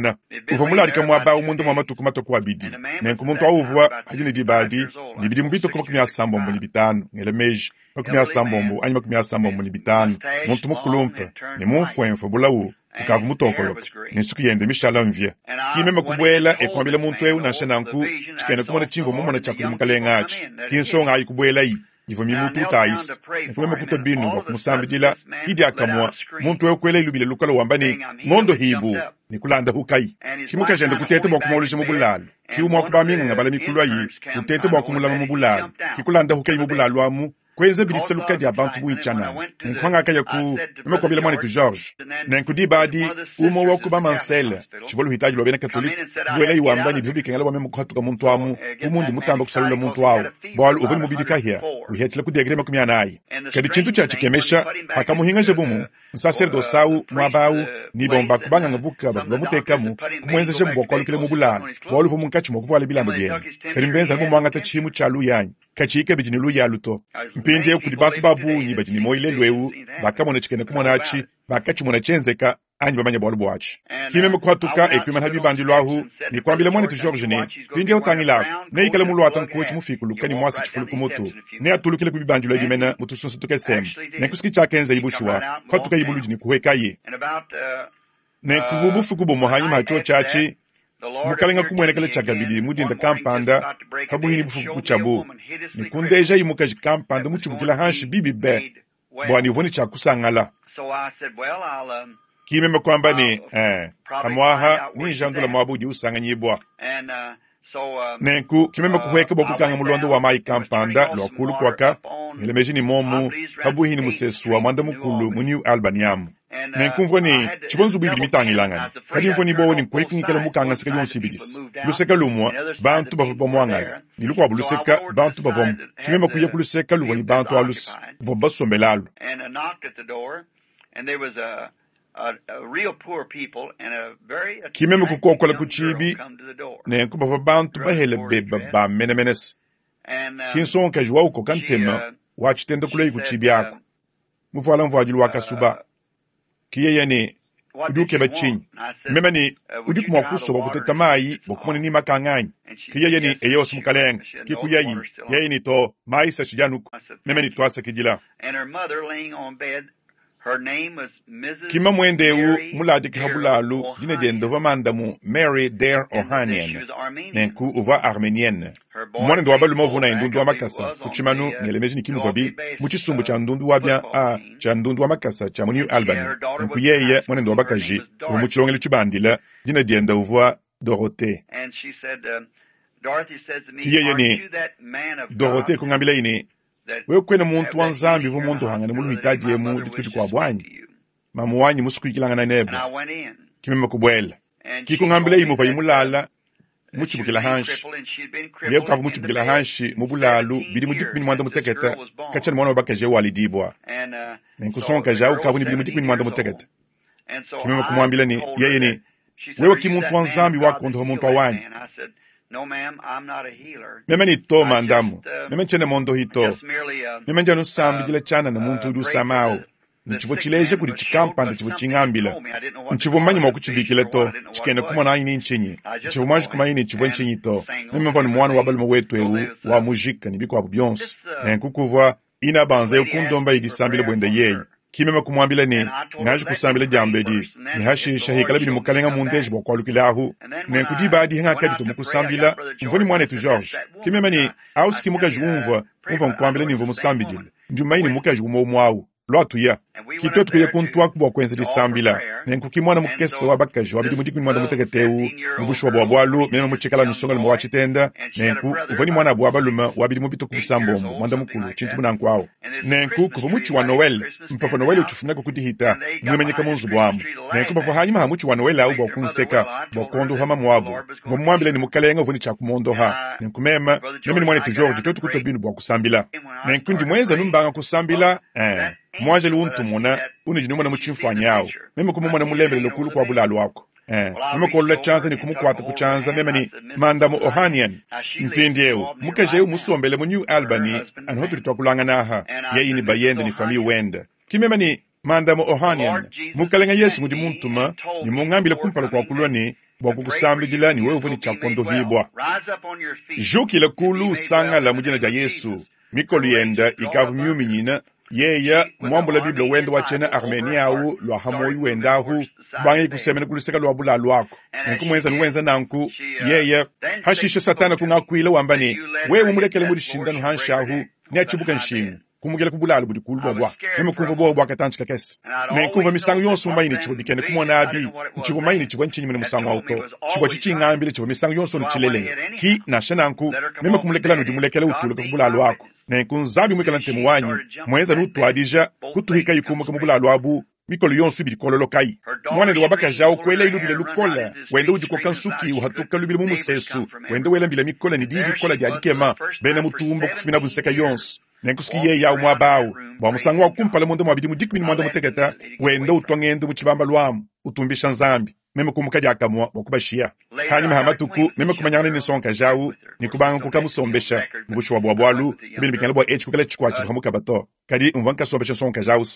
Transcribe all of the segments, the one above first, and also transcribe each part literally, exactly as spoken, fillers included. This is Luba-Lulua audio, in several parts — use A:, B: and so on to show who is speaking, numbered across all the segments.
A: kupingana. Uvua muladika muaba awu munda mua matuku matue ku abidi. Nenku muntu awu uvua adi ne diba adi ne bidimu bitue ku makumi asambombo ne bitanu, ngela meji, makumi asambombo anyi makumi asambombo ne bitanu, muntu mukulumpe ne mumfuemfue bulawu ukavua mutokoloka ne nsuki yende mishala mvia. Ki meme kubuela e kuambila muntu eu nansha nanku tshikena kumona tshimvua mumona tshia kudi mukalenga atshi. Ki nsonga ayi kubuelayi, ivua mimututa ayisi nenku meme kutua binu bua kumusambidila ki diakamue muntu eu kuela ilubile lukala wamba ne ngondo hibu ne kulanda hukayi ki mukajende kuteta bua kumawuluja mu bulalu ki umue wa ku baminganga bala mikulu ayi kuteta bua kumulama mu bulalu ki kulanda hukayi mu bulalu amu kuenza bilisaluka dia bantu buitshana nenku hangakaya ku meme kuambila mwanetu George nenku diba adi umue wa ku bamansele tshivua luhitaji lua bena katolike buela iwamba ne bivua bikengela bua meme kuhatuka muntu amu bu mundi mutamba kusalula muntu awu bualu uvua ne mubidi kahia uhiatshila ku degré makumi anayi kadi tshintu tshia tshikemesha hakamuhingaja bumu nsacerdoce awu muaba awu ni bomba kubanganga buka bavua bamutekamu kumuenzejabu bua kualukila mu bulalu bualu uvua munkatshi mua kuvuala bilamba biende kadi mbenza bumuangata tshihimu tshia luyanyi katshiyi kabidi ne luyalu to mpindieu kudi bantu ba bungi badi ne muoyo lelu eu bakamona tshikena kumona atshi bakatshimona tshienzeka anyi bamanye bualu buatshi ki meme kuhatuka ekuimana bibandilo ahu ne kuambila mwanetu George ne mpindieu utangilako neikale muluata nkotshi mufikuluka ne muasa tshifulu ku mutu neatulukile ku bibandilo ebi mene mu tusunsa tukesemu nenku tshiakenza ibushuwa kuhatuka ibuludi ne kuhwekaye nenku bu bufuku bumue hanyima ha tshio tshiatshi mukalenga kumuenekela tshiakabidi mudinda kampanda pabuhini bufuku kutshiabu ne kundeja imukaji kampanda mutshibukila hanshi bibi be bua ne uvua ne tshiakusangala ki meme kuamba ne eh, amwaha ninjandula muabu udi usanganyibua nenku ki meme kuhweka bua kukanga mulondo wa mayi kampanda lua kulu kuaka ngela ni momu pabuhini musesu wa mwanda mukulu mu New Albany amu nenku mvua ne tshivua nzubu ibidi mitangilangana kadi mvua ne bowa ne nkuheka ngikala mukanga nseka yonso ibidisi luseka lumue bantu bavua bamuangala ne lukuabu luseka bantu bavamu ki meme kuya ku luseka luvua ne bantu alusi bavua basombela alu ki meme kukokola ku tshibi nenku bavua bantu bahele beba ba menemenese ki nsonkaji wa ukoka ntema wa tshitenda kuleyi ku tshibi aku muvuala mvuadilu wa kasuba ki yeye ne udi ukeba tshinyi meme ne udi mua kusoba kuteta mayi bua kumona ni makanga anyi ki yeye ne eye wasi mukalenga ki kuyayi yeye ne to mayi satshidianuku meme ne tuasakidila kima mwende eu muladika bulalu dina diende uvua mandamu Mary Dare Ohanian nenku uvua armenienne mwanende wa balume uvua naye ndundu wa makasa ku tshimanu ngelemeji ne kimuvua bi mu tshisumbu tshia ndundu wa bia a tshia ndundu wa makasa tshia mu New Albany nenku yeye mwanende wa bakaji uvua mu tshilongelo tshibandila dina diende uvua Dorothée ki yeye ne Dorothée kungambila ne wewe kwena muntu wa nzambi uvua muntu hangana mu luhitaji emu dituku dikuabu anyi mamu wanyi musukuikilangana nebe ki meme kubuela ki kungambila imuva imulala mutshibukila hanshi yeye ukavua mutshibukila hanshi mu bulalu bidi mu dikumi ne muanda mutekete katshia ne mwana wa bakaji eu walidibua nenku sonkaji au ukavua ne bidi mu dikumi ne muanda mutekete ki meme kumuambila ne yeye ne wewe ki muntu wa nzambi wakondoha muntu awanyi meme ni to mandamu meme ntshiena mondohi to meme ndi anu nsambidila tshianana muntu udi usama awu ntshivua tshileja kudi tshikampanda tshivua tshingambila ntshivua mmanyi mua kutshibikila to tshikena kumona anyi ni ntshinyi ntshivua muanji kumanya ne tshivua ntshinyi to meme mvua ne mwana wa balume wetu eu wa mujika ne bikuabu bionso nenku kuvua ina banza eu kundomba idisambila buende yeye ki meme kumuambila ne ngaji kusambila diambedi ne hashisha hikala bidi mukalenga mundeji bua kualukila ahu nenku diba adi hangakadi mu kusambila mvua ne mwanetu George ki meme ne auski mukaji umvua umvua nkuambila ne mvua musambidile ndi mmanyi ne mukaji umue umue awu lwatuya ki twetu kuya kuntuaku bua kuenza disambila nenku ki mwana mukese wa bakaji wa bidimu dikumi muanda mutekete eu mu bushuwa bua bualu meme mutshikala nusonga wa tshitenda nenku uvua ne mwana wa balume wa bidimu bituku bisambombo muanda mukulu tshintu munanku awu nenku kuvua mutshi wa Noel mpavua Noel utshifunako kudihita muimanyika mu nzubu amu nenku bavua hanyima ha mutshi wa Noel awu bua kunseka bua kuondoha mamu abu mvua mumuambile ne mukalenga uvua ne tshiakumondoha nenku meme meme ne mwanetu George twetu kutua binu bua kusambila nenku ndi muenza numbanga kusambila eh muanjelu untumuna unudi numona mu tshimfuanyi awu meme kumumona mulembelele kulu kua bulalu ako eh meme kuolola tshianza ne kumukuata ku tshianza meme ne mandamu Ohanian mpindieu mukaji eu musombele mu New Albany anu hatudi tuakulangana aha yeye ne bayende ne famille wende ki meme ne mandamu Ohanian mukalenga Yesu ngudi muntuma ne mungambile kumpala kua kulua ne bua kukusambidila ne wewe uvua ne tshiakondohibua jukila kulu usangala mu dina dia Yesu mikolo yenda ikavu miuminyina yeya mwambula Biblia wenda wa tshiena Armenia awu lua hamoyi wenda ahu kubangaye kusemena kuluseka lua bulalu ako nenku muenza nuwenza nanku yeye hashisha Satana kungakuila wamba ne wewe mulekele mu dishindano hanshi ahu Neatshibuke nshingu kumukela ku bulalu budi kulu bua meme kumvua buowa bua katantshi kakese. Nenkumvua misangu yonso mumanye ne tshivua bikene kumona abi, ntshivua mumanye ne tshivua ntshinyi musangu awu to. Tshivua tshitshingambile tshivua misangu yonso ntshilelela. Ki nansha nanku meme kumulekela nudimulekela utuluka ku bulalu aku. Nenku Nzambi muikala ntemu wanyi mwenza nutuadija kutuhika ikumuka mu bulalu abu mikolo yonso ibidi kololokayi. Mwanende wa bakaji awu kuela ilubile lukola wenda udikoka nsuki uhatuka lubile mu musesu wenda wela mbila mikola ne diyi dikola dia dikema bena mutumba kufumina bunseka yonso. Nenkusuki yeye awu muaba awu bua musangu wa kumpala munda mua bidimu dikumi ne muanda mutekete wenda utua ngendo mu tshibamba lwamu utumbisha Nzambi. Meme kumuka diakamua bua kubashiya. Hanyuma ha matuku meme kumanyangana ne nsongaji awu ne kubanga kukamusombesha mubushuwa bua bualu kibini bikengela bua etshi kukala tshikwatshi bua to. Kadi mvua nkasombesha nsongaji awu.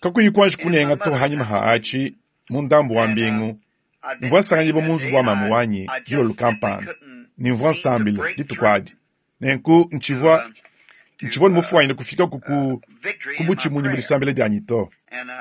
A: Kakuyi kuanji kunenga to hanyuma ha achi mu ndambu wa mbingu mvua nsanganyibwa mu nzubu wa mamu wanyi dilolo kampanda ne mvua nsambila dituku adi. Nenku ntshivua ntshivua ne kufika ku ku butshimunyi mu disambila dianyi to.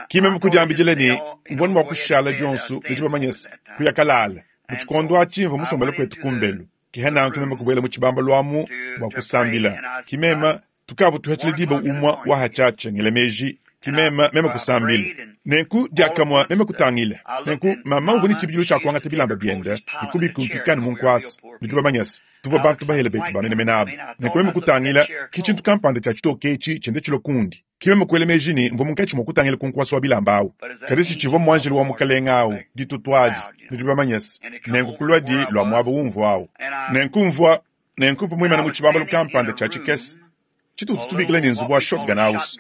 A: Ki meme kudiambidila ne mvua ne mua kushala dionso nudi bamanye se kuya kalala. Mu tshikondo atshi mvua musombele kwetu kumbelu. Ki nanku meme kubuela mu tshibamba lwamu bua kusambila. Ki meme tukavu tuhatshile diba umwa wa hachache ngela meji ki meme meme kusambila. Nenku diakamua meme kutangila. Nenku mama uvua ne tshibidilu tshia kuangata bilamba biende ne kubikumpikana mu nkuasa. Nudi bamanye se tuvua bantu bahele betu bamenemene abu. Nenku meme kutangila ki tshintu kampanda tshia tshitoke etshi tshiende tshilo kundi. Ki meme kuela meji ne mvua munkatshi mua kutangila ku nkuasa wa bilamba awu. Kadi si tshivua muanjelu wa mukalenga awu ditutuadi. Nudi bamanye se nenku kulwadi lua muaba umvua awu. Nenku mvua nenku mvua muimane mu tshibambalu kampanda tshia tshikese. Tshitutu tubikila ne nzubu wa shotgun house.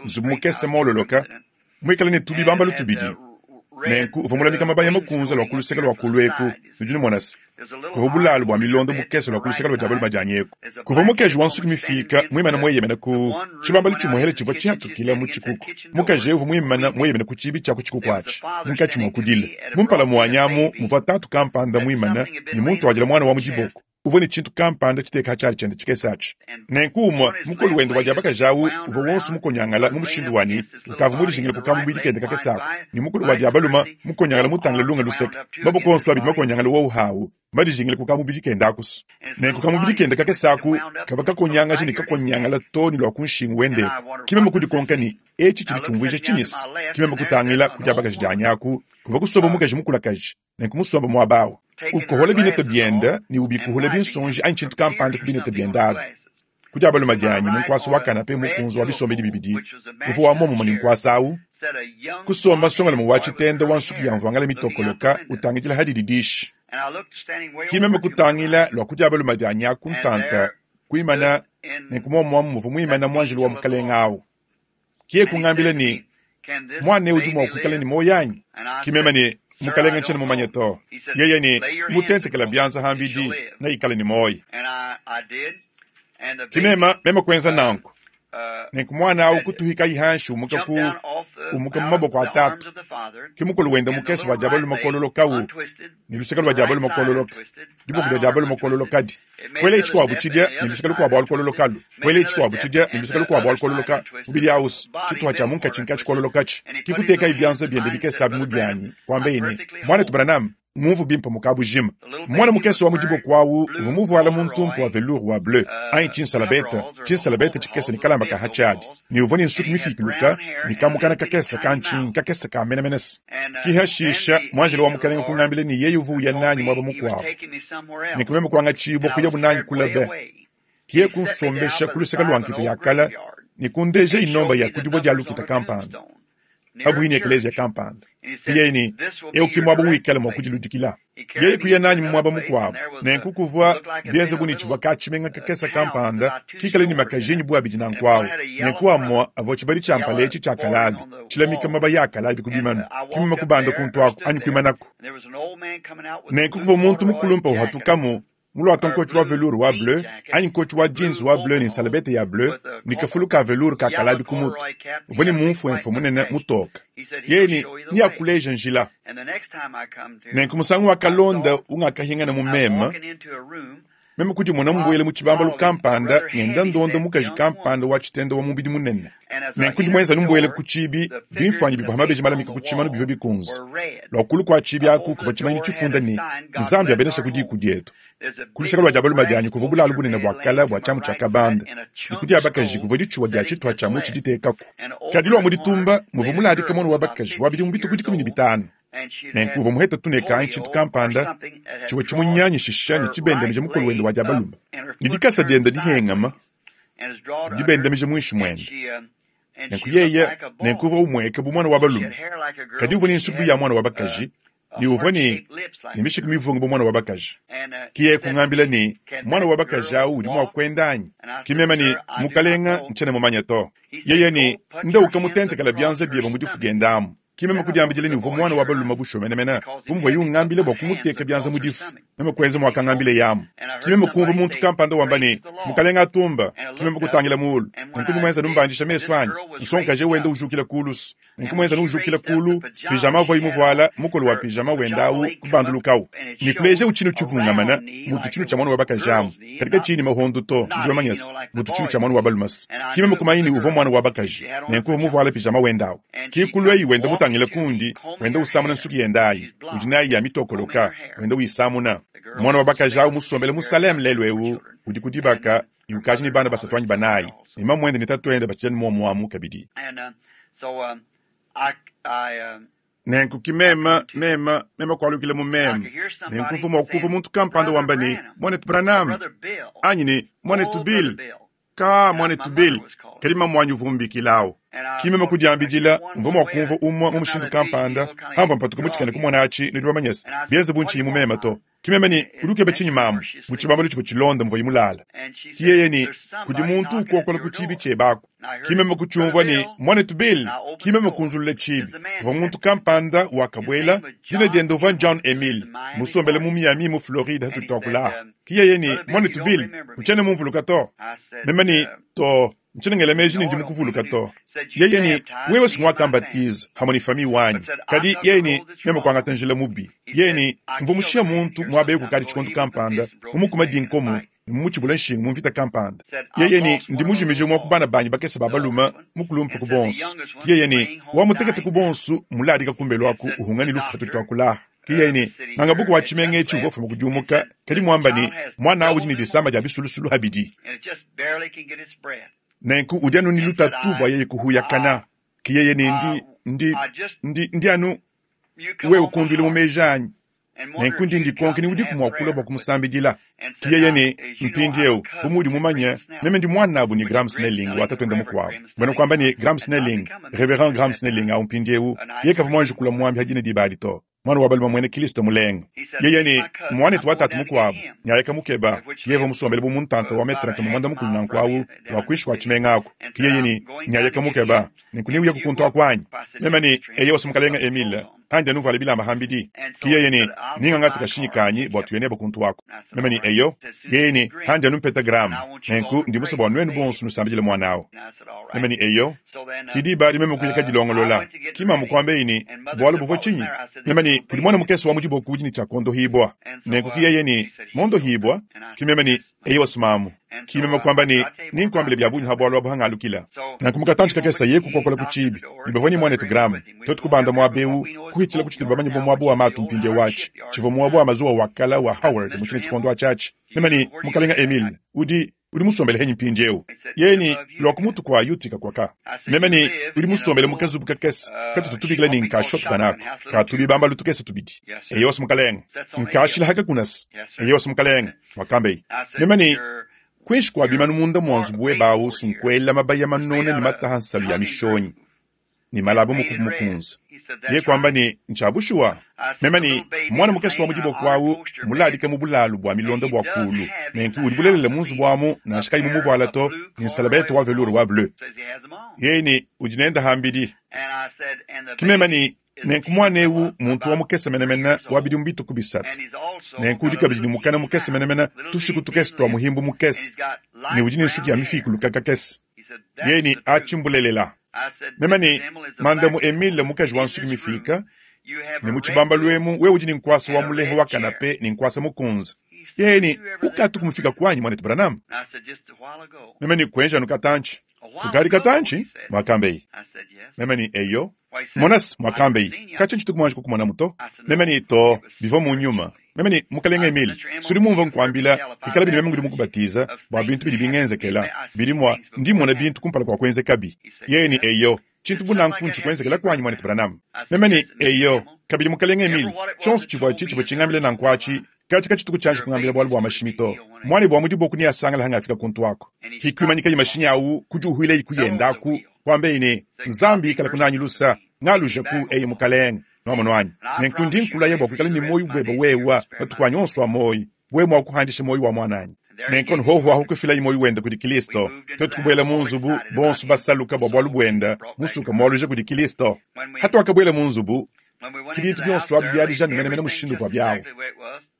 A: Nzubu mukese mololoka muikale ne tubibambalu tubidi. Nenku uvua mulamika mabaya makunza lua kuluseka lua kulu eku nudi numona se kuvua bulalu bua milondo bukese lua kuluseka lua diabalu madianyi eku. Kuvua mukaji wa nsuki mifika muimane mueyemena ku tshibambalu tshimuhele tshivua tshihatukila mu tshikuku. Mukaji uvua muimane mueyemena ku tshibi tshia ku tshikuku atshi munkatshi mua kudila. Mumpala muanyamu muvua tatu kampanda muimane ne muntu wadila mwana wa mu diboko. Uvua ne tshintu kampanda tshiteka tshiali tshiende tshikese atshi. Nenku umue mukulu wende wa diabakaji awu uvua wonso mukonyangala mu mushindu wani ukavua mudijingile kukamubidi kende kakese ako. Ne mukulu wa diabaluma mukonyangala mutangila lunga luseke. Maboko onso abidi makonyangala wowu hawu madijingile kukamubidi kende akusu. Nenku kamubidi kende kakese aku kava kakonyangaji ne kakonyangala to ne lua ku nshingu wendeko. Ki meme kudikonka ne etshi tshidi tshiumvuija tshinyisi. Ki meme kutangila ku diabakaji dianyi aku kuvua kusomba mukaji mukulakaji. Nenku musomba muaba awu. Ukohola binete biende ne ubikuhola binsonji anyi tshintu kampanda ku binete biende abi. Ku diabaluma dianyi mu nkuasa wa kanape mukunzu wa bisombedi bibidi uvua wa momumue ne nkuasa awu kusomba nsongalume wa tshitende wa nsuki ya mvuangala mitokoloka utangidila hadidi dishi. Ki meme kutangila lua ku diabaluma dianyi aku ntanta kuimana nenku momumue muvua muimana muanjelu wa mukalenga awu. Ki kungambila ne mwana udi mua kuikala ne muoyo anyi? Ki meme ne mukalenga ntshiena mumanye to. Yeye ne mutentekela bianza hambidi neikale ne muoyo. Ki meme meme kuenza nanku. Nenku mwana awu kutuhika ihanshi umuka ku umuka mu maboko a tatu. Ki mukulu wenda mukese wa diabalu makololoka awu ne luseka lua diabalu makololoka. Diboko dia diabalu makololokadi. Kuela etshi butshidia ne luseka lukuabu alukololokalu. Kuela etshi butshidia ne luseka lukuabu alukololoka. Mubidi awusu tshituha tshia munkatshi nkatshi kololokatshi. Ki kuteka ibianza biende bikese abi mu bianyi kuamba yene mwana Branham mumvu bimpa mukabujima. Mwana mukese wa mu diboko awu uvua muvuala muntumpu wa velours wa bleu anyi tshinsalabeta tshinsalabeta tshikese ne kalamba ka hatshiadi ne uvua ne nsuki mifikiluka ne kamukana kakese ka ntshinyi kakese ka menemenese. Ki hashisha muanjelo wa mukalenga kungambila ne yeye uvua uya nanyi muaba mukuabu. Ne kumeme kuangatshibua kuya bunanyi kula be. Kiye kunsombesha ku luseka lua nkita ya kala ne kundeja inomba ya kudibua dia lukita kampanda abuhini eklezia kampanda. Yeye ni eu ki muaba wikale mua kudiludikila. Yeye kuya nanyi mu muaba mukuabu. Nenku kuvua bienze bu ne tshivua katshimenga kakese kampanda kikale ne makajenyi bu abidi nanku awu. Nenku amua avua tshibadi tshia mpala etshi tshia kalabi tshilamika mabaya a kalabi ku bimanu. Ki meme kubanda kuntu aku anyi kuimanaku. Nenku kuvua muntu mukulumpa uhatukamu mulwata nkotshi wa velours wa bleu anyi nkotshi wa jeans wa bleu ne nsalabete ya bleu ne kafulu ka velours ka kalabi ku mutu. Uvua ne mumfuemfue munene mutoka. Yeye ne niakuleja njila. Nenku musangu wa kalonda ungakahingana mu meme meme kudimona mbuele mu tshibambalu kampanda ngenda ndonda mukaji kampanda wa tshitende wa mubidi munene. Nenku ndimwenza numbuele ku tshibi bimfuanyi bivua mabeji malamika ku tshimanu bivua bikunze. Lua kulu kua tshibi aku kuvua tshimanyi tshifunda ne Nzambi abenesha ku diku dietu. Ku luseke lua dia balume dianyi kuvua bulalu bunene bua kale bua tshiamu tshia kabanda, ne ku dia bakaji kuvua ditshuwa dia tshituha tshia mutshi ditekaku. Kadi lua mu ditumba muvua muladika muana wa bakaji wa bidimu bitue ku dikumi ne bitanu. Nenku uvua muheta tuneka anyi tshintu kampanda tshivua tshimunyanyishisha ne tshibendamija mukolo wende wa dia balume, ne dikasa diende dihengama dibendamija muinshi muende. Nenku yeye nenku uvua umueka bu muana wa balume, kadi uvua ne nsubu ya muana wa bakaji, ne uvua ne ne mishiku mivunga bu muana wa bakaji. Ki yeye kungambila ne, muana wa bakaji awu udi mua kuenda anyi? Ki meme ne, mukalenga ntshiena mumanye to. Yeye ne, nda ukamutentekela bianza biebe mu difu diende amu. Ki meme kudiambila ne uvua muana wa balume bushuwa menemene, bu muvuaye ungambila bua kumuteka bianza mu difu. Meme kuenza muakangambile yamu. Ki meme kumvua muntu kampanda wamba ne, mukalenga atumba. Ki meme kutangila muulu. Nenku mumuenza numbandisha mesu anyi. Nsongaje wenda ujukila kulusu. Nenku muenza nujukila kulu, pijama avuaye muvuala, mukolo wa pijama wenda awu kubandulukawu. Ne kuleja utshinu tshivungamana, mutu tshinu tshia muana wa bakaji amu. Kadi katshiyi ne mahondo to, ndi bamanyese, mutu tshinu tshia muana wa balume. Ki meme kumanya ne uvua muana wa bakaji. Nenku uvua muvuala pijama wenda awu. Ki kulweyi wenda mutangile kundi, wenda usamuna nsuki yenda ayi, udi nayi ya mitokoloka, wenda uyisamuna. Muana wa bakaji awu musombele mu Salem lelu ewu, udi ku dibaka, ne ukaji ne bana basatu anyi banayi, ne mamuende ne tatuende batshidi muomuamu kabidi. Nenku ki meme, meme, meme kualukila mu meme. Nenku mvua mua kumvua muntu kampanda wamba ne, muanetu Branham, anyi ne, muanetu Bill. Ka muanetu Bill, kadi mamuanyi uvua umbikilawu. Ki meme kudiambidila, mvua mua kumvua umue mu mushindu kampanda, hamvua mpatuka mutshikane kumona atshi, nudi bamanyese, bienze bu ntshiyi mu meme to. Ki meme ne, udi ukeba tshinyi mamu, mu tshibambalu tshivua tshilonda mvuaye mulala. Ki yeye ne, kudi muntu ukokola ku tshibi tshiebe aku. Ki meme kutshiumvua ne, muanetu Bill, ki meme kunzulula tshibi. Kuvua muntu kampanda wakabuela, dina diende uvua John Emil, musombele mu Miami mu Floride hatudi tuakula. Ki yeye ne, muanetu Bill, utshiena mumvuluka to. Meme ne, to, ntshiena ngela meji ne ndi mukuvuluka to. Yeye ne, wewe sungwakambatiza hamwe ne famille wanyi. Kadi yeye ne, meme kuangata njila mubi. Yeye ne, mvua mushiya muntu muaba eku kadi tshikondo kampanda, mumukuma dinkomo, ne mumutshibula nshingu mu mvita kampanda. Yeye ne, ndi mujimije mua ku bana banyi bakese ba balume, mukulumpe ku bonso. Yeye ne, wamutekete ku bonso, muladika kumbelu aku uhunga ne lufu hatudi tuakula. Ki yeye ne, ngangabuku wa tshimenga etshi uvua ufuma kudiumuka, kadi muamba ne, muana udi ne disama dia bisulusulu habidi. Nenku udi anu ne lutatu bua yeye kuhuyakana. Ki yeye ne ndi, ndi, ndi, ndi anu wewe kunduile mu meji anyi. Nenku ndi ndikonke ne udiku mua kulua bua kumusambidila. Ki yeye ne, mpindieu, bu muudi mumanye, meme ndi muanabu ne Graham Snelling wa tatuende mukuabu. Mbena kuamba ne Graham Snelling, Reverend Graham Snelling awu mpindieu, yeye kavua muanji kula muambi hadina diba adi to. Mwana wa balume mwene Kristo mulenga. Yeye ne, muanetu wa tatu mukuabu, nyayeka mukeba, yeye musombele bu muntanta wa metre nkama mwanda mukulu nanku awu, wa kuinshi kwa tshimenga aku. Ki yeye ne, nyayeka mukeba, nenku niuya kukuntu aku anyi. Meme ne, eye wasi mukalenga Emile, handi anuvala bilamba hambidi. Ki yeye ne, ninga kashinyi kanyi bua tuye nebe kuntu wako. Meme ne, eyo, yeye ne, handi anumpeta gramu. Nenku ndi musue bua nuenu bonso nusambidile muana awu. Meme ne, eyo, ki diba adi meme kuyaka dilongolola. Ki mamu kuamba ne, bualu buvua tshinyi? Meme ne, kudi muana mukese wa mu diboko udi ne tshia kondohibua. Nenku ki yeye ne, mondohibua. Ki meme ne, eyo wasimamu. Ki meme kuamba ne, ninkuambile bia bungi ha bualu abu hangalukila. Nanku mukatantshi kakese ye kukokola ku tshibi. Ne bavua ne muanetu Graham. Tuetu kubanda muaba ewu, kuhitshila ku tshitubu bamanye bu muaba wa matu mpindiewu atshi. Tshivua muaba wa mazuwa wa kala wa Howard mu tshine tshikondo atshi atshi. Meme ne, mukalenga Emile, udi udi musombele henyi mpindiewu. Yeye ne, lua ku mutu kwa Utica kwaka. Meme ne, udi musombele mu kazubu kakese, katutu tubikila ne nka shotgun ako, katubi bambalu tukese tubidi. Eyo wasi mukalenga. Nkashila haka kunasa. Eyo wasi mukalenga, wakambe. Meme ne, kuinshi kwa bimanu munda mua nzubu webe awu sunkuela mabaya manona ne mataha nsalu ya mishonyi, ne malaba mukubu mukunza. Ye kuamba ne, ntshiabushuwa. Meme ne, mwana mukese wa mu diboko awu, muladika mu bulalu bua milonda bua kulu. Nenku udi bulelela mu nzubu amu, nansha kayi mumuvuala to, ne nsalabete wa velours wa bleu. Yeye ne, udi nenda hambidi. Ki meme ne, nenku muana ewu muntu wa mukese menemene wa bidimu bituku bisatu. Nenku udi kabidi ne mukana mukese menemene tushiku tukese tua muhimbu mukese, ne udi ne nsuki ya mifikuluka kakese. Yeye ne, atshimbulelela. Meme ne, mandamu Emile mukaji wa nsuki mifika, ne mu tshibambalu emu wewe udi ne nkuasa wa mulehe wa kanape ne nkuasa mukunza. Yeye ne, ukatu kumufika kwanyi mwanetu Branham? Meme ne, kuenja anu katantshi. Kukadi katantshi? Mwakambe. Meme ne, eyo. Monas mwakambe, katsha ntshitu kumwanji kukumona muto. Meme ne, to, bivua mu nyuma. Meme ne mukalenge Emile, sudi mumvua nkuambila ikala bidi meme ngudi mukubatiza bua bintu bidi bingenzekela bidi mua ndi mmona bintu kumpala kua kuenzekabi. Yeye ne eyo tshintu bu nanku ntshikuenzekela kuanyi mwanetu Branham. Meme ne eyo kabidi mukalenge Emile, tshionso tshivua tshi tshivua tshingambile nanku atshi kachi kachituku chanji kungambila bwalu bwa mashimi to. Mwane bwa mudi boku ni asangala hanga afika kuntu wako. Hikwimanyika mashinyi au kujuhwile ikuyendaku kwambe ine Nzambi ikala kunanyi lusa ngaluja ku eye mukalenge nwamono wanyi. Nenku ndi nkulaya bwa kuikala ni moyo bweba wewa matuku anyi onso a moyo bwe mwa kuhandisha moyo wa mwananyi. Nenku hoho aho kufila imoyo wenda kudi Kristo. Twetu kubwela mu nzubu bonso basaluka bwa bwalu bwenda musuka mwaluja kudi Kristo. Hatu akabwela mu nzubu kibintu byonso abi byalija menemene mushindu kwa byawo.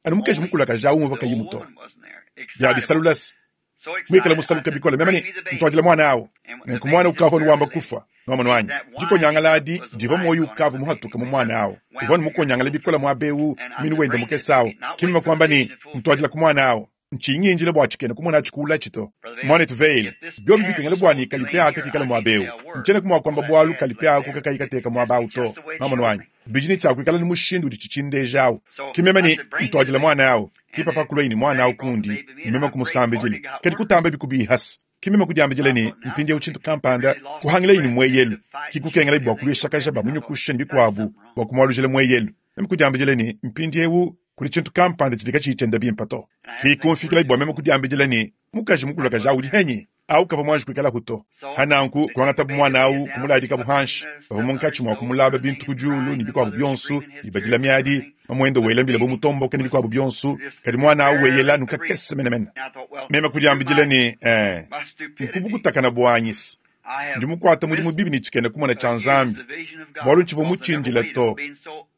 A: Anu mukeji mukulaka ja umva kayimuto. Byalisalulasi mwikala musaluka bikola memene ntwajila mwana awo. Nenku mwana ukava nuwamba kufa nwamono wanyi. Dikonyangala adi diva moyo ukava muhatuka mu mwana awo. Uvua mukonyangala bikola mwabewu minu wenda mukesawo. Kimima kwamba ni ntwajila ku mwana awo. Nchinyinjile bwa chikene kumona chikula chito. Mwana tuveile. Byobi bikengela bwani kalipea akakikala mwabewu. Nchene kumwa kwamba bwalu kalipea akukakaikateka mwabau to. Nwamono wanyi. Bijini chakwikala ni mushindu udi chichindejawo. Kimema ni ntwajila mwana awo. Kipapa kulwa ni mwana awo kundi ni mema kumusambijile. Kadi kutamba bikubihasa. Kimema kudiambijile ni mpindi uchintu kampanda kuhangila ini mweyelu. Kikukengela bwa kulwisha kaja ba munyukusha bikwabu bwa kumwalujile mweyelu. Mema kudiambijile ni mpindi ewu kuli chintu kampanda chidika chichenda bimpato. Kikumfikila bwa mema kudiambijile ni mukaji mukulu kaja udi henyi au kava mwanji kuikala huto. Hananku kuangata mwana au kumuladika buhanshi. Bava munkachi mwa kumulaba bintu kujulu ni bikwabu byonsu ni badila miadi mamwendo wela mbila bomutombo kani bikwabu byonsu kadi mwana au weyela nukakese menemene. Mema kudiambijile ni eh nkubukutakana bwanyisi. Ndi mukwata mudi mubibi ni chikene kumona cha Nzambi. Bwalu nchivo muchindila to.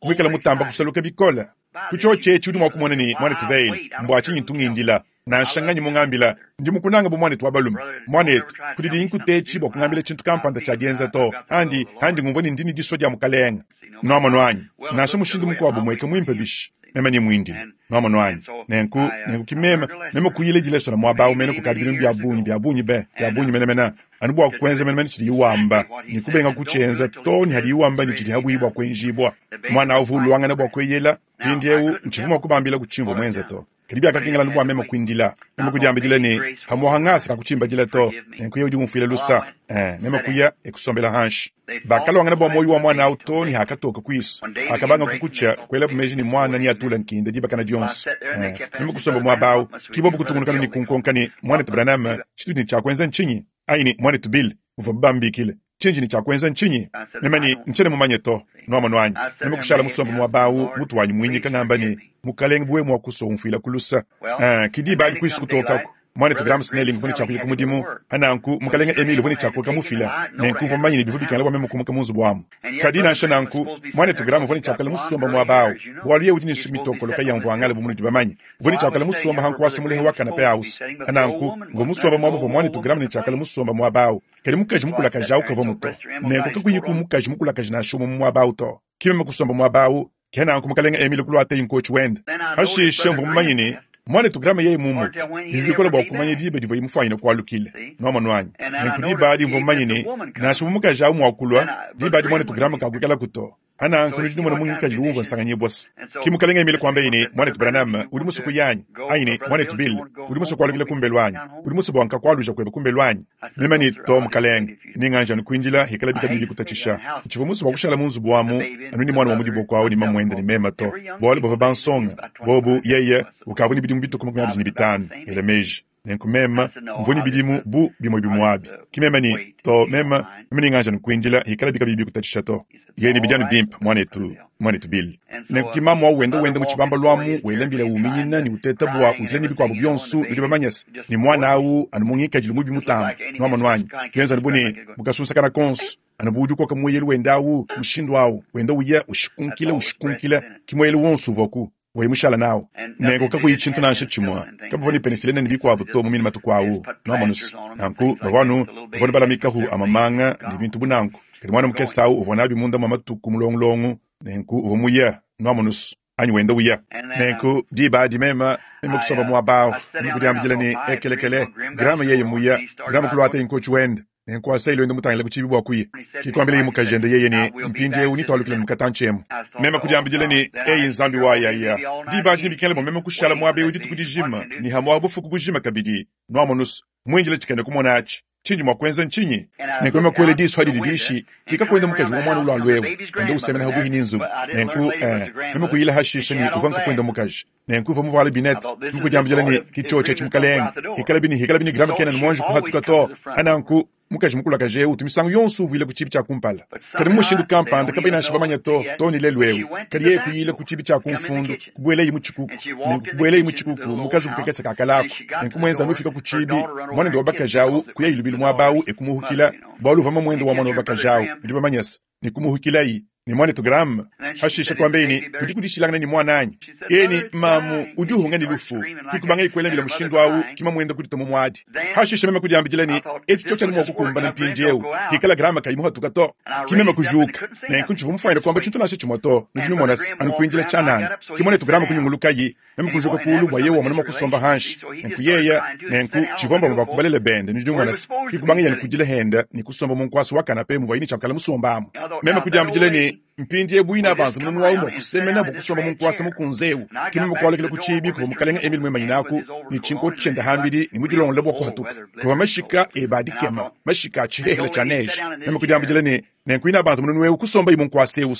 A: Mwikala mutamba kusaluka bikola. Kuchoche chudi mwa kumona ni mwana tuveile mbwa chinyi tungindila. Na shanganyi mungambila ndi mukunanga bu mwana twabalume mwana etu kudi inkutechi bwa kungambila chintu kampanda cha dienza to handi handi ngumvoni ndini diso dia mukalenga nwamono wanyi nasha mushindu mukwabu mweke mwimpe bishi mema ni mwindi nwamono wanyi nenku nenku kimema mema kuyile jileso na mwabawu mene kukadi bintu bya bunyi bya bunyi be bya bunyi mene mena anu bwa kwenza mene mene chidi iwamba ni kubenga kuchenza to ni hadi iwamba ni chidi habu ibwa kwenjibwa mwana avu luangana bwa kweyela pindi ewu nchivuma kubambila kuchimbo mwenza to kadi akakengela nubwa mema kwindila mema kudiambijile ni hamuhangasi kakuchimbajile to nenku ye udi mufile lusa eh mema kuya ekusombela hanshi bakalwangana bwa moyo wa mwana au to ni hakatoka kwiso akabanga kukucha kwela bumeji ni mwana ni atula nkinda dibakana dionso eh mema kusomba mwabao kibobu kutungunukana ni kunkonkani mwana tubranama chitu ni chakwenza nchinyi aini mwana tubil uva bambikile chinji ni chakwenza nchinyi mema ni nchene mumanye to nwamono wanyi mema kushala musomba mwabao mutu wanyi mwinyika ngamba ni mukalenge bwe mwakuso umfila kulusa eh kidiba ali kwisu kutokako mwana Graham Snelling vuni chakuya kumudimu hananku mukalenge Emile vuni chakuka mufila nenku vamanye ni bivu bikala bwa memu munzu bwamu kadina nshananku mwana Graham vuni chakala musomba mwabao bwalu ye udini sumitokolo kayamvu angala bumunu dibamanye vuni chakala musomba hanku wasimulehe wakana pe house hananku ngo musomba mwabo vo mwana Graham ni chakala musomba mwabao kali mukaji mukula kajau kavo muto nenku kakuyiku mukaji mukula kajina shumu mwabao to kimema kusomba mwabao kenanku mukalenge Emile kulwate inkochi wenda hashishe mvu mumanyini mwana Graham yeye mumu bibikola bwa kumanya dibe divo imufanyina kwalukile nwamono wanyi nenku diba di mvu mumanyini nasha mumukaji au mwakulwa diba di mwana Graham kakwikala kuto hana nkunu jini mwana mungi kaji luwumva nsanganye bwasi kimukalenga Emile kwamba ine mwana Branham uli musuku yanyi aine mwana Bill uli musuku kwalukile kumbelu wanyi uli musuku bwanka kwaluja kweba kumbelu wanyi mema ni to mukalenga ninganja nukwinjila hikala bika bibi kutatisha nchivo musuku wakushala munzu bwamu anu ni mwana wa mudibo kwawo ni mamwenda ni mema to bwali bova bansonga bobu yeye ukavu ni bidimu bituku makumi abiri ni bitano ele meji nenku mema mvuni bidimu bu bimwe bimwabi kimema ni to mema mema ninganja nukwinjila hikala bika bibi kutatisha to yeni bijani bimpa mwanetu mwanetu Bill nenku kimamu au wenda wenda muchibamba lwamu welembila uminyina ni uteta bwa utile ni bikwabu byonsu bidi bamanyasi ni mwana au anu mungikajile mubi mutamba nwamono wanyi yenza nibune mukasunsa kana konso anu budi koka mweyelu wenda au mushindu au wenda uya ushikunkila ushikunkila kimweyelu wonsu voku wemushala nawo nengo kakuyi chintu nansha chimwa kabavoni penicillin ni bikwabu to mumini matuku awu nwamonusi nanku bavanu bavoni balamikahu amamanga ni bintu bunanku kadi mwana mukesa awu uvona abi munda mwa matuku mulongulongu nenku uva muya nwamonusi anyi wenda uya nenku diba adi mema mema kusomba mwabao mema kudiambijila ni ekelekele Graham yeye muya Graham kulwata inkochi wenda Nenku asa ilwenda mutangila ku tshiibi bua kuya. Ke kuambilaye mukajende yeye ne, Mpindieu netualukile mu katantshi emu. Meme kudiambidila ne, Eyi Nzambi wayaya, diba adi nebikengele bua meme kushala muaba eu dituku dijima ne hamuapa bufuku bujima kabidi. Nuamonu's, muindile tshikena kumona atshi. Tshindi mua kuenza ntshinyi? Nenku meme kuela disu adi didishi, kika kuenda mukaji wa muana ulualu eu, wenda usemena pabuipi ne nzubu. Nenku, eh, meme kuyila hashisha ne uvua nkakuenda mukaji. Nenku uvua muvuale binete. Meme kudiambidila ne, Ki tshiotshi etshi mukalenge. Hikalabi ne hikalabi ne Graham kena ne muanji kuhatuka to. Pananku, mukaji mukulakaje eu utu misangu yonso uvuila ku tshiibi tshia kumpala. Kadi mu mushindu kampanda kabayi nansha bamanya to, too ne lelu eu. Kadi yeye kuyila ku tshiibi tshia ku mfundu, kubuelaye mu tshikuku. Nenku kubuelaye mu tshikuku mu kazubu kakese ka kalaku. Nenku muenza anu ufika ku tshiibi, muanende wa bakaji au kuyaye lubilu muaba au e kumuhukila, bualu uvua mamuende wa muana wa bakaji au, nudi bamanye se, ne kumuhukilayi. Ne muanetu Graham hashisha kuambaye ne, Kudiku dishilangana ne muananyi. Yeye ne, Mamu udi uhunga ne lufu. Ki kubangaye kuela mbila mushindu au, ki mamuende kudituma mu muadi. Hashisha meme kudiambidila ne, Etshi tshiotshi anu mua kukumbana mpindieu, hikala Graham kayi muhatuka to. Ki meme kujuka. Nenku ntshivua mufuanyine kuamba tshintu nansha tshimue to, nudi numona se, anu kuindila tshianana. Ki muanetu Graham kunyungulukaye, meme kujuka kuulu bua yeye wamona mua kusomba hanshi. Nenku yeye, nenku tshivua mbamue ba ku balele bende, nudi numona se, ki kubangaye anu kudila henda ne kusomba mu nkuasa wa kanape muvuaye ne tshia kukala musombamu. Meme kudiambidila ne, Mpindieu buine banza mununu wawu mua kusemena bua kusomba mu nkuasa mukunze eu. Ki meme kualukila ku tshiibi kuvua mukalenge Emile muimanyinaku ne tshinkoti tshiende hambidi ne mudilongolole bua kuhatuka. Kuvua mashika ebe a dikema, mashika a tshihehele tshia neige. Meme kudiambidila ne, Nenku inabanza mununu eu kusombayi mu nkuasa eu.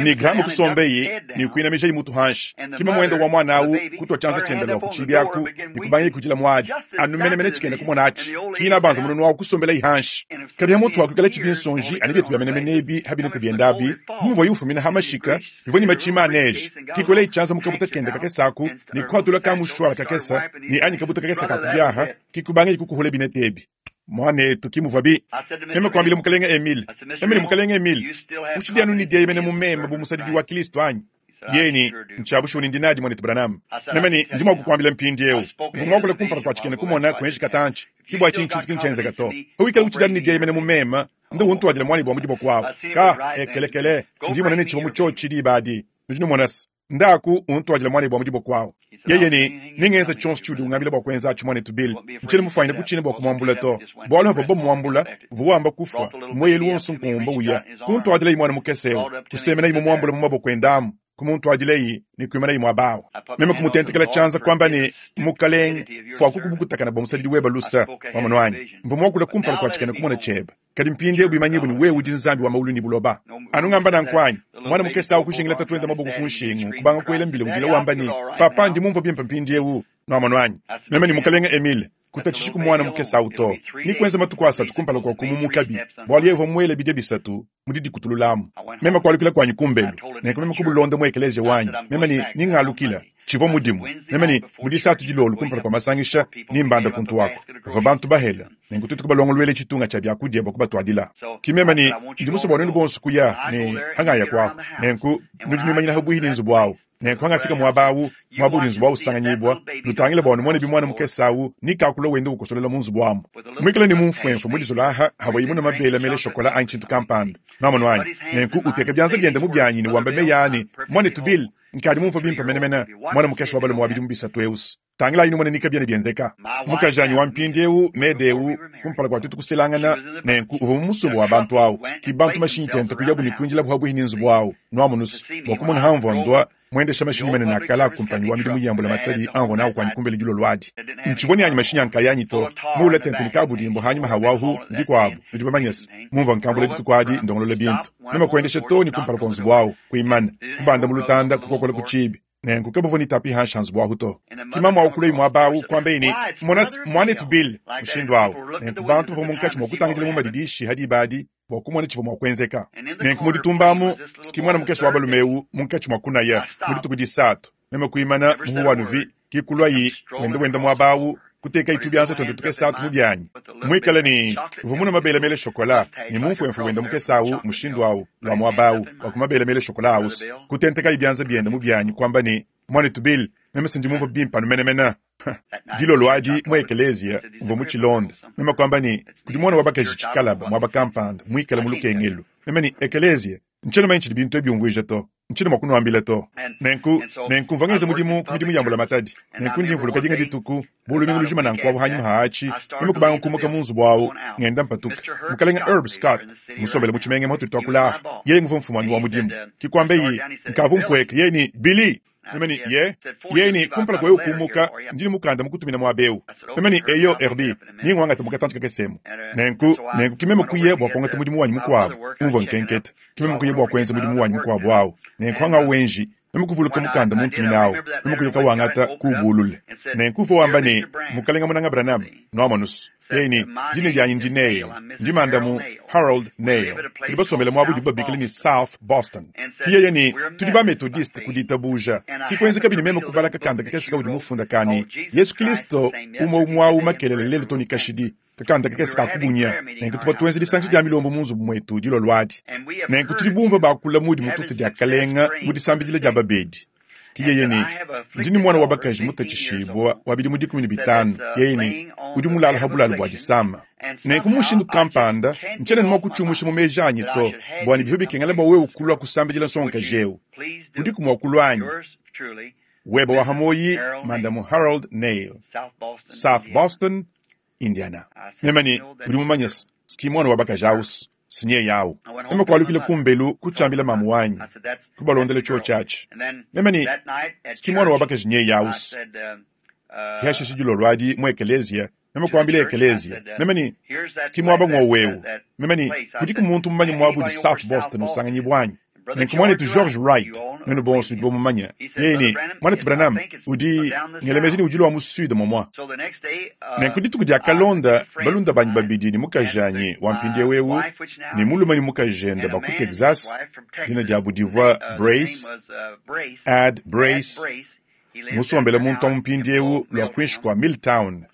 A: Ne Graham kusombayi ne kuinamijayi mutu hanshi. Ki mamuende wa muana au kutua tshianza tshiende lua ku tshiibi aku ne kubangaye kudila muadi. Anu menemene tshikena kumona atshi. Ki inabanza mununu au kusombelayi hanshi. Kadi ha mutu wa kuikala tshibinsonji anu bietu bia menemene ebi ha binete biende abi, bu muvuaye ufumina ha mashika, bivua ne matshima a neige. Ki kuelayi tshianza mu kabuta kende kakese aku ne kuhatula ka mushuala kakese ne anyi kabuta kakese ka ku biaha, ki kubangayi kukuhula binete ebi. Muanetu, ki muvuabi. Meme kuambila mukalenge Emile, meme ne mukalenge Emile, utshidi anu ne dieyemena mu meme bu musadidi wa Kristo anyi? Yeye ne, Ntshia bushuwa ne ndi nadi, muanetu Branham. Meme ne, Ndi mua kukuambila mpindieu, mvua muakule kumpala kua tshikena kumona kuenji katantshi. Ki bua tshinyi tshintu ki ntshienzeka to. Pawikala utshidi anu ne dieyemena mu meme, ndu untuadila muanebe wa mu diboko awu. Ka, ekelekele, ndi mmona ne tshivua mu tshiotshi diba adi. Nudi numona se, ndaku untuadila muanebe wa mu diboko awu. Yeye ne, Nengenze tshionso tshiudi ungambila bua kuenza atshi, muanetu Bill. Ntshiena mufuanyine kutshina bua kumuambula to. Bualu havua bamuambula, uvua wamba kufua, mueyelu wonso nkumba uya. Kuntuadilayi muana mukese eu, kusemenayi mumuambula mu maboko ende amu, kumuntuadilayi ne kuimanayi muaba au. Meme kumutentekela tshianza kuamba ne, Mukalenge, fuaku kubukutakana bua musadidi webe lusa. Wamonu anyi? Mvua muakule kumpala kua tshikena kumona tshiebe. Kadi mpindieu bimanyibue ne wewe udi Nzambi wa maulu ne buloba. Anu ngamba nanku anyi? Muana mukese au kujingila tatuende maboko ku nshingu, kubanga kuela mbila udila wamba ne, Papa, ndi mumvue bimpe mpindieu. Nuamonu anyi? Meme ne mukalenge Emile, kutatshishiku muana mukese au to. Ni kuenza matuku asatu kumpala kua kumumukabi, bualu yeye uvua muele bidia bisatu mu didikutululamu. Meme kualukila kuanyi kumbelu, nenku meme kubulonda mu ekeleziya wanyi. Meme ne, Ningalukila. Tshivua mudimu. Meme ne, Mu disatu dilolo kumpala kua masangisha, nimbanda kuntu aku. Bavua bantu bahela, nenku tuetu kubalongoluela tshitunga tshia biakudia bua kubatuadila. Ki meme ne, Ndi musue bua nuenu bonso kuya ne hangaya kuaku. Nenku nudi nuimanyina pabuihi ne nzubu au. Nenku hangafika muaba au, muaba udi nzubu au usanganyibua, nutangile bua numone bimuana mukese au ni kakula wenda ukosolola mu nzubu amu. Muikale ne mumfuemfue mu dizola aha havuaye munue mabele mele shokola anyi tshintu kampanda. Nuamonu anyi? Nenku uteka bianza biende mu bianyi ne wamba meyi a ne, Muanetu Bill, nkadi mumvue bimpe menemene, muana mukese wa balume wa bidimu bisatu eu. Tangilayi numone ni kabiena bienzeka. Mukajanyi wa mpindieu, Meda eu, kumpala kua tuetu kuselangana, nenku uvua mu musumba wa bantu au. Ki bantu mashinyi tente kuyabu ne kuindilabu pabuihi ne nzubu au, nuamonu's, bua kumona hamvua ndua muendesha mashinyi manene a kale a kumpanyi wa midimu ya mbulamatadi amvua nawu kuanyi kumbelu dilolo adi. Ntshivua ne anyi mashinyi a nkayanyi to, muule tente ne kabudimbu hanyima ha wahu ne bikuabu, nudi bamanye se, mumvua nkambula dituku adi ndongolola bintu. Meme kuendesha too ne kumpala kua nzubu au, kuimana, kubanda mu lutanda, kukokola ku tshiibi. Nenku kabavua ne tapi hanshi ha nzubu ahu to. Ki mamu au kuluaye muaba au, kuambaye ne, Mona se, muanetu Bill, mushindu au. Nenku bantu bavua munkatshi mua kutangidila mu madidishi ha diba adi bua kumona tshivua mua kuenzeka. Nenku mu ditumba amu, ki muana mukese wa balume eu munkatshi mua kunaya mu dituku disatu, meme kuimana muhu wa nuvi, ki kuluaye wenda wenda muaba au, kutekayi tubianza tuende tukese atu mu bianyi, muikale ne uvua munue mabele mele shokola ne mumfuemfue wenda mukese au mushindu au lua muaba au wa ku mabele mele shokola aus, kutentekayi bianza biende mu bianyi kuamba ne, Muanetu Bill, meme se ndi mumvue bimpe anu menemene. Dilolo adi mu ekeleziya mvua mu tshilonda, meme kuamba ne, kudi muana wa bakaji tshikalaba muaba kampanda muikale mu lukengelu. Meme ne, Ekeleziya, ntshiena manya tshidi bintu ebi biumvuija to. Nchini mwa kunuambila to. Nenku, nenku mvua ngenza mudimu ku midimu ya mbulamatadi. Nenku ndi mvuluka dinga dituku, bu lumingu lujima nanku abu hanyima haachi, meme kubanga kumuka mu nzubu awu, ngenda mpatuka. Mukalenga Herb Scott, musombele mu tshimenga mwatudi tuakula aha, yeye nguvua mfumu wa mudimu. Kikwambe nkavu mpweke, yeye ni Billy. Meme ni ye, yeye ni kumpala kwa wewe kumuka, ndi ni mukanda mukutumina mwabeu. Meme ni eyo Herbie, ni ngwangata mukatantu kakesemu. Nenku, nenku kimeme kuye bwa kuangata mudimu wanyi mukuabu, umvua nkenketa. Kimeme kuye bwa kuenza mudimu wanyi mukuabu awu. Nenku hanga wenji, meme kuvuluka mukanda muntumina awu, meme kuyoka wangata kubulule. Nenku uvua wamba ne, mukalenga munanga Branham, noamonus. Yeye ni, jina lyanyi ndi Nail, ndi mandamu Harold Nail. Tudi basombele mwabu dibu babikila ni South Boston. Ki yeye ni, tudi ba Methodiste ku ditabuja. Ki kuenza kabidi meme kubala kakanda kakese kaudi mufunda kani, Yesu Kristo umwe umwawu makelele lelo toni kashidi. Kakanda kakese kakubunya. Nenku tuvua tuenza disanji dia milombo mu nzubu mwetu dilo lwadi. Nenku tudi bumva bakula mudi mututu dia kalenga mu disambidila dia babedi. Ki yeye ni, ndi ni mwana wa bakaji mutachishibwa wa bidimu dikumi ne bitanu. Yeye ni, udi mulala habulala bwa disama. Nenku mushindu kampanda, nchene ni mwakuchumusha mu meji anyi to, bwa ni bivyo bikengela bwa wewe ukulwa kusambidila nsonga jewu. Udi kumwakulwanyi. Weba wa hamoyi, mandamu Harold Nail, South Boston, Indiana. Mema ni, udi mumanya ski mwana wa bakaji awusi, sinye yawu. Mema kwalukile kumbelu kuchambila mamu wanyi, kubalondela chuo chachi. Mema ni, ski mwana wa bakaji nye yawusi. Kihasha shijilo lwadi mu ekelezia, mema kwambile ekelezia. Mema ni, ski mwaba ngwa wewu. Mema ni, kudiku muntu mmanyi mwabu di South Boston usanganyi bwanyi. Nenku mwanetu George Wright, nenu bonso udi bomumanya. Yeye ni, mwanetu Branham, udi ngelemeji ni udi lwa mu sud momwa. Nenku dituku dia kalonda, balunda banyi babidi ni mukajanyi wa mpindie wewu, ni mulume ni mukajenda ba ku Texas, dina dia budivwa Brace, Ad Brace, musombele muntu wa mpindie ewu lwa kwinshi kwa Milltown,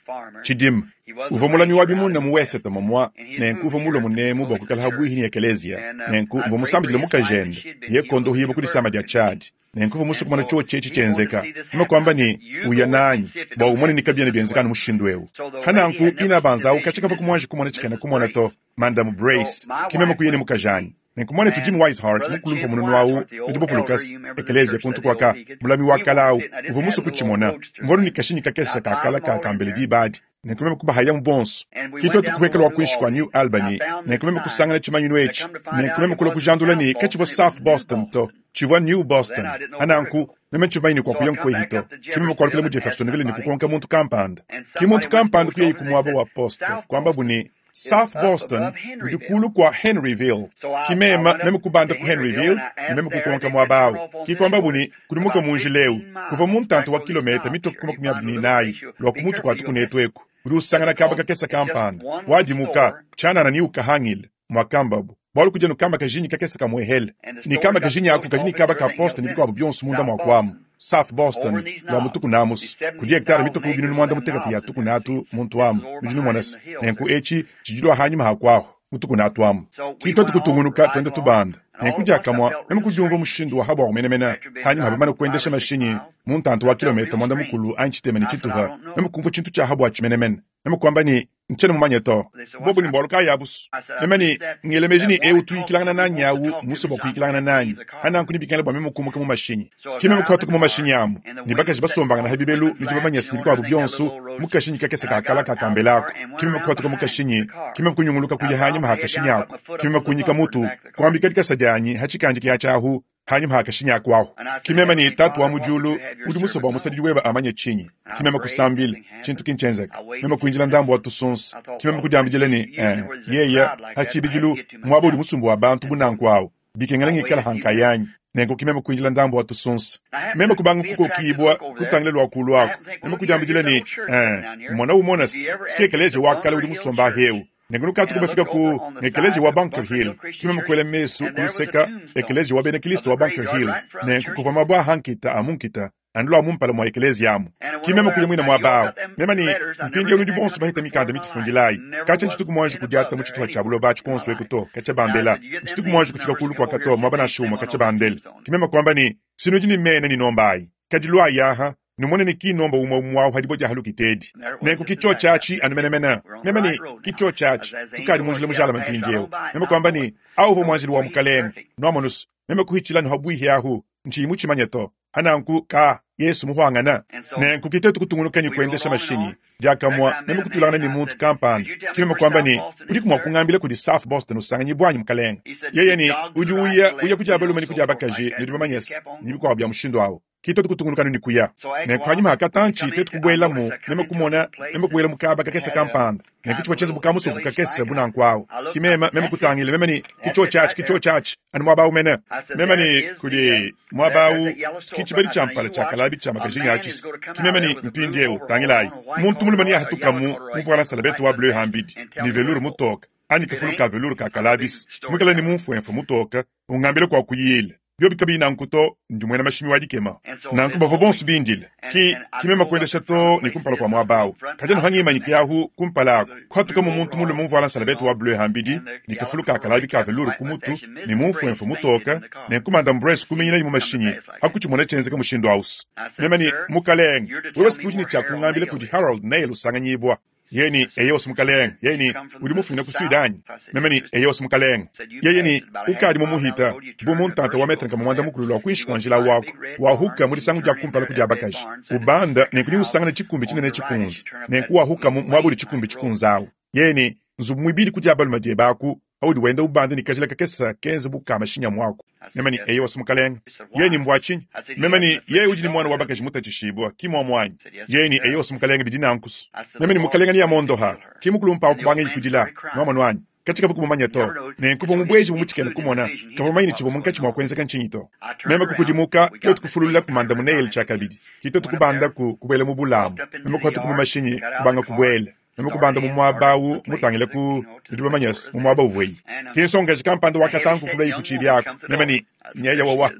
A: Chidim. Uvua mulami wa bimuna mu West momwa, nenku uvua mulwa munemu bwa kuikala habwihi ni ekelezia. Nenku mvua musambidile mukajenda, ye kondo hiba ku disama dia Chad. Nenku uvua musukumana chuo chechi chenzeka. Mema kwamba ni uya nanyi, bwa umone ni kabiene byenzekana mushindu ewu. Hananku ina banza au kachika va kumwanji kumona chikana kumona to, Mandamu Brace, kimema kuyene mukajanyi. Nenku mwanetu Jim Wisehart, mukulumpa mununu awu, udibo Lucas, ekelezia kuntu kwaka, mulami wa kala awu, uvua musu kuchimona. Mvonu ni kashinyi kakesa kakala kakambele dibadi. Nenku meme kubahaya mu bonso. Kito tukuhekela wa kwinshi kwa New Albany, nenku meme kusangana chimanyinu echi. Nenku meme kula kujandula ni kachivwa South Boston to, chivwa New Boston. Hananku, meme chimaini kwa kuya nkwehito. Kimeme kwalukile mu Jeffersonville ni kukonka muntu kampanda. Kimuntu kampanda kuya ikumwabo wa poste, kwamba buni South Boston udi kulu kwa Henryville. Kimema meme kubanda ku Henryville, ni meme kukonka mwabawu. Kikwamba buni kudimuka munji leu, kuva muntantu wa kilomita mitoku makumi abiri n'inayi, lwa kumutu kwa tukunetu eku. Udi usangana kaba kakesa kampanda. Wadimuka, chanana ni ukahangile, mwakambabu. Bwalu kuja nukamba kajinyi kakesa kamwehele. Ni kamba kajinyi aku kajinyi kaba ka poste ni bikwabu byonso munda mwakwamu. South Boston, lwa mutuku namus. Kudi hektare mitoku binunu mwanda mutekati ya tuku natu muntu amu. Ujinu mwanasi. Nenku echi, chijilwa hanyima hakwaho. Mutuku natu amu. Kito tukutungunuka twende tubanda. Nenku diakamwa, meme kudiumva mushindu wa habwa kumenemena. Hanyima habamana kuendesha mashinyi, muntantu wa kilomita mwanda mukulu anchitema ni chituha. Meme kumva chintu cha habwa chimenemena. Meme kwamba ni nchene mumanye to. Bobu ni mbwalu kaya abusu. Meme ni ngelemeji ni ewu tuikilangana nanyi awu, muso bwa kuikilangana nanyi. Hananku ni bikengela bwa meme kumuka mu mashinyi. Kimeme kuhatuka mu mashinyi amu. Ni bakaji basombangana habibelu, ni jibamanya sinibikwa abu byonso, mukashinyi kakese kakala kakambelako. Kimeme kuhatuka mu kashinyi, kimeme kunyunguluka kuya hanyima hakashinyi ako. Kimeme kunyika mutu, kuambika dikasa dyanyi, hachikanje kya chahu, hanyuma hakashinyi akwaho. Kimema ni tatu wa mujulu, udi musoba wa musadidi weba amanye chinyi. Kimema kusambile, chintu kinchenzeka. Mema kuinjila ndambu wa tusunsa. Kimema kudiambijile ni, eh, yeya, hachibijulu, mwabo udi musumbu wa bantu bunanku awo. Bikengela ngikala hankayanyi. Nenku kimema kuinjila ndambu wa tusunsa. Mema kubanga kukokibwa, kutangile lwa kulu ako. Mema kudiambijile ni, eh, mwana umona sikekeleje wakala udi musomba hewu. Nenku nukatu kubafika ku ekelezi wa Bunker Hill. Kimema kuele mesu kuluseka ekelezi wa bene Kristo wa Bunker Hill. Nenku kuva mabwa hankita amunkita andula mumpala mwa ekelezi yamu. Kimema kule mwina mwa bao. Mema ni mpingi onudi bonso bahita mikanda mitifundilayi. Kacha nchituku mwanji kudiata muchituha cha buloba chikonso ekuto kacha bandela. Nchituku mwanji kufika kulu kwa kato mwaba na shuma kacha bandela. Kimema kwamba ni sinudi ni mene ni nombayi. Kadilwa yaha Numone ne kinomba umwe umwe awu hadibo dia halukitedi. Nenku kicho chachi anu menemene. Meme ne kicho chachi tukadi munjila mujala mpindieu. Meme kwamba ni awu mwanjili wa mukalenge. Nwamonus meme kuhichila nhabwihi ahu nchi muchimanya to. Hananku ka Yesu muhwangana. Nenku kitetu kutungunuka ni kuendesha mashini. Diakamwa meme kutulana ni muntu kampani. Kimeme kwamba ni uri kumwakungambila kudi South Boston usanganyi bwanyi mukalenge. Yeye ni udi uya uya kuja balume ni kuja bakaji ni bamanyesi ni bikwa bya mushindo awo. Kitetu kutungunuka ni kuya. Nenku hanyuma hakatanchi tetu kubwelamu meme kumona meme kubwela mukaba kakesa kampanda. Nenku chiwa chenza bukamuso kukakesa bunanku awo. Kimema meme kutangile meme ni kicho chachi kicho chachi anu mwaba umene. Meme ni kudi mwaba u kichibeli champala chakalabi cha makajinga achis. Kimema ni mpindieu tangilai. Muntu mulumani ahatukamu muvwana salabetu wa bleu hambidi. Ni veluru mutoka. Ani kafulu ka veluru ka kalabis. Mwikala ni mumfwemfwe mutoka. Ungambile kwa kuyile. Byobi kabi nankuto ndimwena mashimi wadikema. Nanku bavo bonso bindile. Ki kimema kuendesha to ni kumpala kwa mwabao. Kajano hangi imanyike yahu kumpala. Kwatuka mu muntu mulume muvwana salabetu wa bleu hambidi. Ni kafulu ka kalabi ka veluru kumutu. Ni mumfwemfwe mutoka. Nenku madam Brace kuminyina imu mashinyi. Hakuchimona chenzeka mushindo aus. Mema ni mukalenge. Wewe sikujini cha kungambile kudi Harold Nail usanganyibwa. Yeni eyos mukaleng, yeni uri mufina kusudani. Memeni eyos mukaleng. Yeni ukadi mumuhita, bumuntanta wa metra kama mwanda mukulu lwa kuishi kwa njila wako. Wahuka muri sangu ja kumpala kuja bakaji. Ubanda nenkuni usangana chikumbi chinene chikunzi. Nenku wahuka mwaburi chikumbi chikunzawo. Yeni nzubu mwibili kuja baluma diebaku, audi wenda ubanda nikajila kakesa kenze bukama shinya mwako. Memeni eyos mukaleng. Yeni mbwachinyi. Memeni ye ujini mwana wa bakaji mutachishibwa kimwa mwanyi. Yeni eyos mukaleng bidinankus. Memeni mukalenga ni yamondoha. Kimukulumpa okubanga ikujila. Nwamonwanyi. Katika vukumumanya to. Nenkuva mubweji mumuchikene kumona. Kavamaini chibo munkachi mwa kwenza kanchinito. Meme kukudimuka kyotu kufulula kumanda muneyel chakabidi. Kito tukubanda ku kubwele mubulamu. Meme kuhatu kumashinyi kubanga kubwele. Meme kubanda mumwabawu mutangile ku nitubamanyas mumwaba uvweyi. Kinsonga chikampanda wakatanku kulei kuchibi yako. Meme ni nyeya wawa.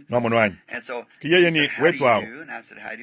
A: Nwamonwanyi. Kiyeye ni wetu awo.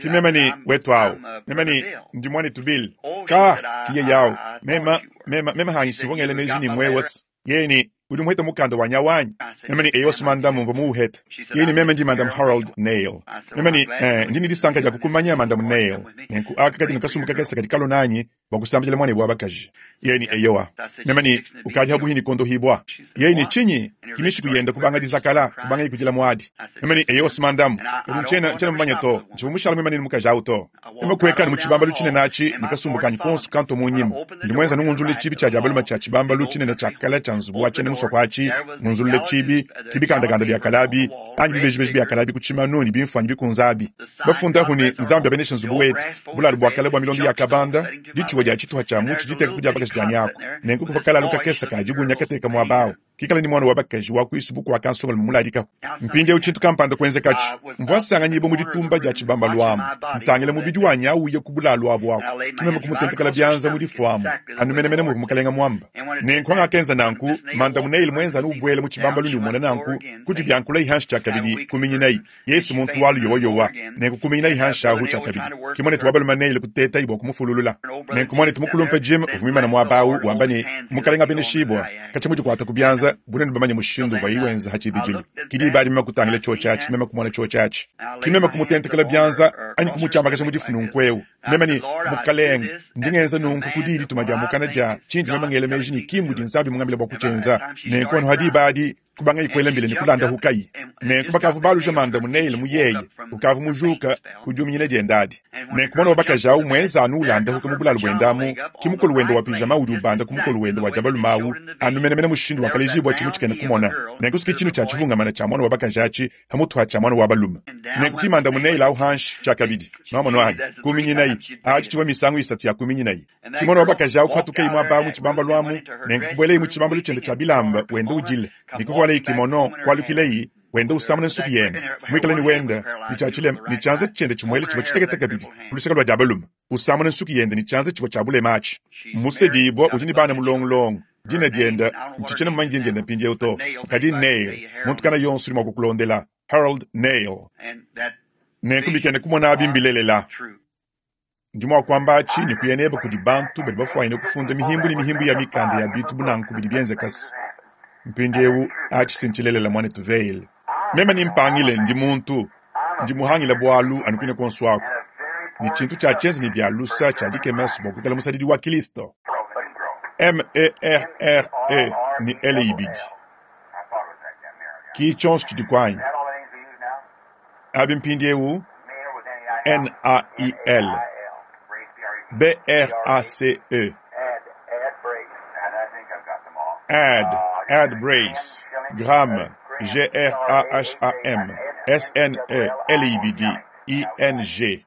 A: Kimeme ni wetu awo. Meme ni ndimwani tubili. Ka kiye yao. Mema mema mema hanyi sivongele meji ni mwewas. Yeye ni uri muheta mukanda wa nyawanyi. Meme ni eyos mandamu mva muheta. Yeye ni meme ndi madam Harold Nail. Meme ni eh, ndini disanka ja kukumanya madam Nail. Nenku aka kati nkasumuka kesa katikalo nanyi wakusambila mwana bwa bakaji. Yeye ni eyowa. Meme ni ukaji habuhini kondo hibwa. Yeye ni chinyi kimishi kuyenda kubanga dizakala kubanga ikujila mwadi. Meme ni eyos mandamu. Mchena chena mmanya to. Nchivumushala meme ni mukaja auto. Meme kuweka ni muchibamba luchine nachi nikasumbuka nyikonsu kanto munyima. Ndimwenza nungunzule chibi cha jabaluma cha chibamba luchine na chakala cha nzubu wachene musokwachi ngunzule chibi kibikanda kanda bya kalabi anyi bibeji bya kalabi kuchima noni bimfanyi bikunzabi. Bafunda huni nzambi abenesha nzubu wetu. Bulalu bwa kala bwa milondi ya kabanda dichuwa dia chituha cha muchi diteka kuja bakaji janyako. Nenku kufakala luka kesa kajibu nyakateka mwabao. Kikala ni mwana wa bakaji wa kuisubuku wa kansonga muladika. Mpinde uchintu kampanda kwenze kachi. Mvwasanga nyibo muditumba dia chibamba lwamu. Ntangile mubidi wa nyawu ye kubula lwabu wako. Kimeme kumutentekela byanza mudifuamu. Anumenemene mu mukalenga mwamba. Nenku anga kenza nanku manda muneil mwenza nubwele mu chibamba luni umona nanku kuju byankula ihanshi chakabidi kuminyinai. Yesu muntu walu yowa yowa. Nenku kuminyinai ihanshi ahu chakabidi. Kimone tuwabalu maneil kuteta ibo kumufululula. Nenku mwane tumukulumpa Jim uvumimana mwabawu wambani mukalenga beneshibwa. Kachimuju kwata kubyanza bunene bamanye mushindu va iwenza hachidijilu. Kidi bali mema kutangile chuo chachi mema kumona chuo chachi. Kimema kumutentekela byanza anyi kumuchamba kasha mudifunu nkweu. Mema ni mukaleng ndingenza nunku kudili tumaja mukana ja chinji mema ngele meji ni kimbu dinsabi mungambile bwa kuchenza. Nenku anu hadi badi kubanga ikwele mbile ni kulanda hukai. Nenku bakavu balu jamanda muneile muyeye ukavu mujuka kujuminyine diendadi. Nenku mwana wabakaja umwenza anu ulanda huka mubulalu bwendamu kimukolu wendo wa pijama udi ubanda kumukolu wendo wa jabalu mawu anu menemene mushindu wakalejibwa chimu chikene kumona. Nenku siki chinu cha chivungamana cha mwana wabakajachi hamutwa cha mwana wabalume. Nenku kimanda muneile au hanshi chakabidi. Mwana wanyu kuminyinai achi chiwa misangu isatu ya kuminyinai. Kimwana wabakaja ukwatuke imwa mu chibamba lwamu nenku kubwele imu chibamba luchende cha bilamba wendo ujile. Nikukwale ikimono kwalukilei wenda usamune nsuku yene mwikala ni wenda nichachile nichanza chende chimwele chiwa chiteketeka bidi kuluseka lwa jabaluma usamune nsuku yende nichanza chiwa chabule machi musedibwa ujini bana mulongolongo dina dienda nchichene mmanji ndienda mpindi uto kadi Nail muntu kana yonsu limwa kukulondela Harold Nail nenku kumona abimbilelela ndimwa kwamba chini kuyeneba kudi bantu bali bafwaine kufunda mihimbu ni mihimbu ya mikanda ya bitu bunanku bidi byenze kasi mpindiewu achisinchilelela mwane tuveile. Mema ni mpangile ndi muntu ndi muhangila bwalu anukwine konswako. Ne tshintu tshia tshienza ne bia lusa tshia dikemasu bua kuikala musadidi wa Kilisto. M-E-R-R-E ne L ibidi. Ki tshionso tshidi kwanyi. Abi mpindiewu N-A-I-L B-R-A-C-E Add, add brace, Graham, G-R-A-H-A-M, S-N-E, L-I-B-D, I-N-G.